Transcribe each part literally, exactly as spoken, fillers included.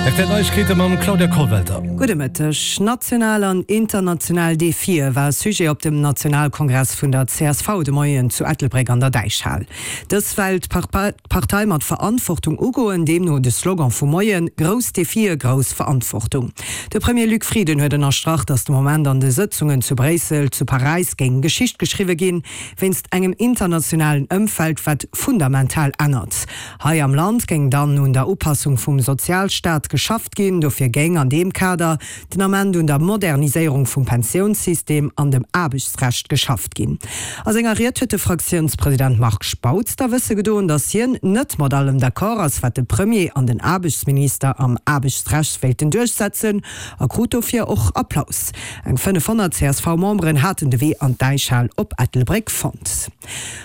Rtl Neiegkeete mam Claudia Kollwelter. Gudde Mëtteg. National an international Defie war Sujet op dem Nationalkongress vun der csv de Moien zu Ettelbréck an der Däichhal. Dës well d'Partei mat Verantwortung ugoen, deemno de Slogan vum Moien, Grouss Defie, grouss Verantwortung. De Premier Luc Frieden huet ënnerstrach, datt de Moment an de Sëtzungen zu Bréissel, zu Paräis géing Geschicht geschriwwe ginn, wéinst engem internationalen Ëmfeld, wat fundamental ännert. Hei am Land géing dann un der Upassung vum Sozialstaat geschafft ginn. Dofir géing an deem Kader den Ament un der Moderniséierung vum Pensiounssystem an dem Aarbechtsrecht geschafft ginn. A senger Ried huet de Fraktiounspresident Marc Spautz da wësse gedoen, datt hien net mat allem d'accord ass, wat de Premier an den Aarbechtsminister am Aarbechtsrecht wéilten duerchsetzen, a krut dofir och Applaus. Eng fënnefhonnert CSV-Memberen haten de Wee an d'Däichhal op Ettelbréck fonnt.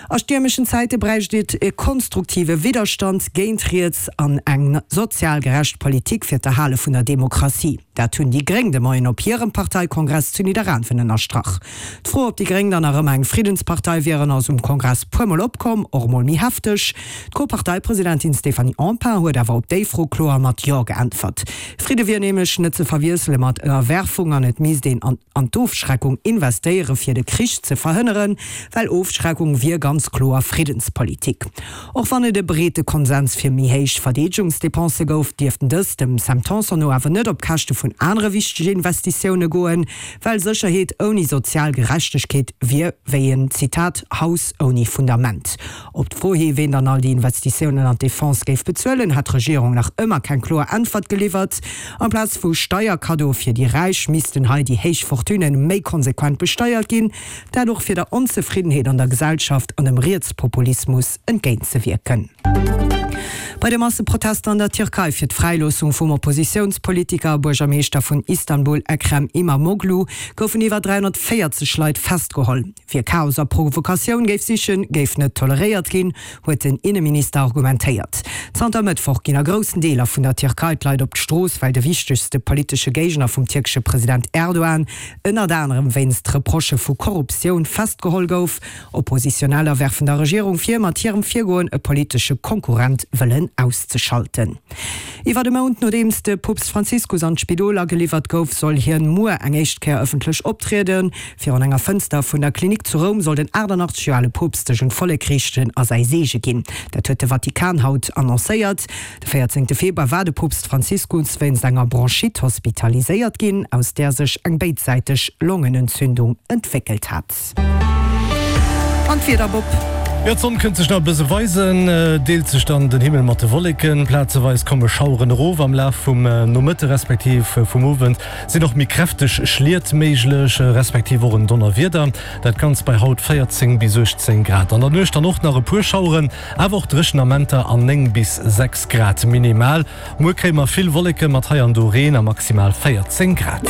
A stiermeschen Zäite bräicht et e konstruktive Widderstand géint riets an eng sozial gerecht Politik fir d'Erhale vun der Demokratie. Dat hunn déi Gréng de Moien op hirem Parteikongress zu Nidderaanwen ënnerstrach. D'Fro, ob déi Gréng dann nach ëmmer eng Friddenspartei wieren, ass um Kongress puermol opkomm, och emol méi hefteg. D'Co-Parteipresidentin Stéphanie Empain huet awer op déi Fro kloer mat Jo geäntwert. Fridde wier nämlech net ze verwiessele mat Ënnerwerfung an et misst een an an d'Ofschreckung investéiere fir de Krich ze verhënneren, well Ofschreckung wier ganz kloer Friddenspolitik. Och wann et e breete Konsens fir méi héich Verdeedegungsdepensë gouf, dierften dës dem Sam Tanson no awer net op Käschte vun anere wichtege Investitioune goen, well Sécherheet ouni sozial Gerechtegkeet wier wéi en, Zitat, Haus ouni Fundament. Op d'Fro hi, ween dann all déi Investitiounen an d'Defense géif bezuelen, hat d'Regierung nach ëmmer keng kloer Äntwert geliwwert. Amplaz vu Steierkaddoe fir déi Räich missten hei déi héich Fortunë méi konsequent besteiert ginn, dat och fir der Onzefriddenheet an der Gesellschaft an dem Rietspopulismus entgéintzewierken. Bei de Masseprotester an der Tierkei fir d'Fräiloossung vum Oppositiounspolitiker a Buergermeeschter vun Istanbul Ekrem Imamoglu goufen iwwer dräihonnertvéierzeg Leit festgeholl. Wie Chaos a Provokatioun géif sichen, géif net toleréiert ginn, huet den Inneminister argumentéiert. Zanter Mëttwoch ginn a groussen Deeler vun der Tierkei d'Leit op d'Strooss, well de wichtegste politesche Géigner vum tierkesche President Erdogan ënnert anerem wéinst Reprochë vu Korruptioun festgeholl gouf. Oppositioneller werfen der Regierung vir, mat hirem Virgoen e politesche Konkurrent wëllen auszeschalten. Iwwer e Mount nodeems de Poopst Franziskus an d'Spidol ageliwwert gouf, soll hien muer eng éischt Kéier ëffentlech optrieden. Virun enger Fënster vun der Klinik zu Roum soll den achtannachtzeg Joer ale Poopst sech un d'Vollek riichten a säi Seege ginn. Dat huet de Vatikan haut annoncéiert. De véierzéngte Februar war de Poopst Franziskus wéinst enger Bronchite hospitaliséiert ginn, aus där sech eng béidsäiteg Longenentzündung entwéckelt hat. An d'Wieder, Bob? Jo, d'Sonn kënnt sech nach e bësse weisen, deelt sech dann den Himmel mat de Wolleken. Plazeweis komme Schaueren erof. Am Laf vum Nomëtte respektiv vum Owend sinn och méi kräfteg Schliet méiglech, respektiv och en Donnerwieder. Dat Ganzt bei haut véierzéng bis uechtzéng Grad. An der Nuecht dann och nach e puer Schaueren, awer och dréchen Amenter an néng bis sechs Grad minimal. Muer kréie mer vill Wolleke mat hei an do Reen a maximal véierzéng Grad.